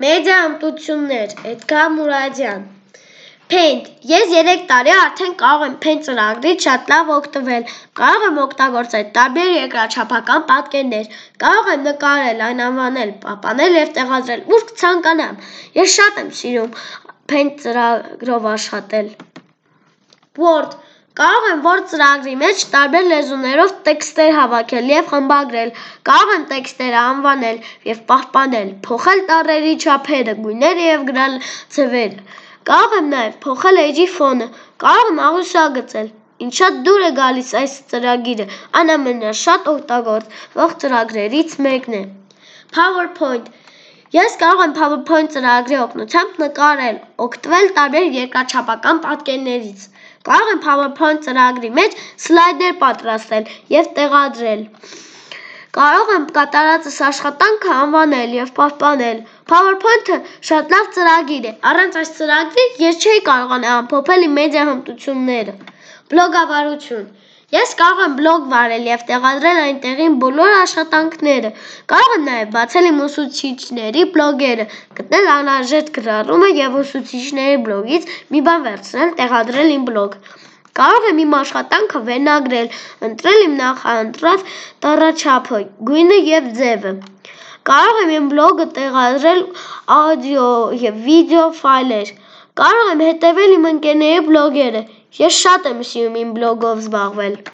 Մեդիա հմտություններ, Էդգար Մուրադյան Paint Ես 3 տարի արդեն կարող եմ Paint ծրագրից շատ լավ օգտվել, կարող եմ օգտագործել տարբեր երկրաչափական պատկերներ, կարող եմ նկարել, այն անվանել, պահպանել և տեղադրել ուր ցանկանամ, ես շատ եմ սիրում Paint ծրագրով աշխատել Word Կարող եմ Word ծրագրի մեջ տարբեր լեզուներով տեքստեր հավաքել և խմբագրել, կարող եմ տեքստերը անվանել և պահպանել, փոխել տառերի չափերը, գույները և գրալ ձևերը, կարող եմ նաև փոխել էջի ֆոնը, կարող եմ աղյուսագծել, ինձ շատ դուր է գալիս այս ծրագիրը, այն ամենաշատ օգտագործվող ծրագրերից մեկն է PowerPoint Ես կարող եմ PowerPoint ծրագրի օգնությամբ նկարել, օգտվել տարբեր երկրաչափական պատկերներից, կարող եմ PowerPoint ծրագրի մեջ սլայդեր պատրաստել և տեղադրել, կարող եմ կատարածս աշխատանքը անվանել և պահպանել, PowerPoint-ը շատ լավ ծրագիր է, առանց այս ծրագրի ես չէի կարողանա ամփոփել իմ մեդիա հմտությունները Բլոգավարություն Ես կարող եմ բլոգ վարել և տեղադրել այնտեղին բոլոր աշխատանքները, կարող եմ նաև բացել իմ ուսուցիչների բլոգերը, գտնել անհրաժեշտ գրառումը և ուսուցիչների բլոգից մի բան վերցնել, տեղադրել իմ բլոգ, կարող եմ իմ աշխատանքը վերնագրել, ընտրել իմ նախընտրած տառաչափը, գույնը և ձևը, կարող եմ իմ բլոգը տեղադրել աուդիո և վիդեո ֆայլեր, կարող եմ հետևել իմ ընկերների բլոգերը, ես շատ եմ սիրում իմ բլոգով զբաղվել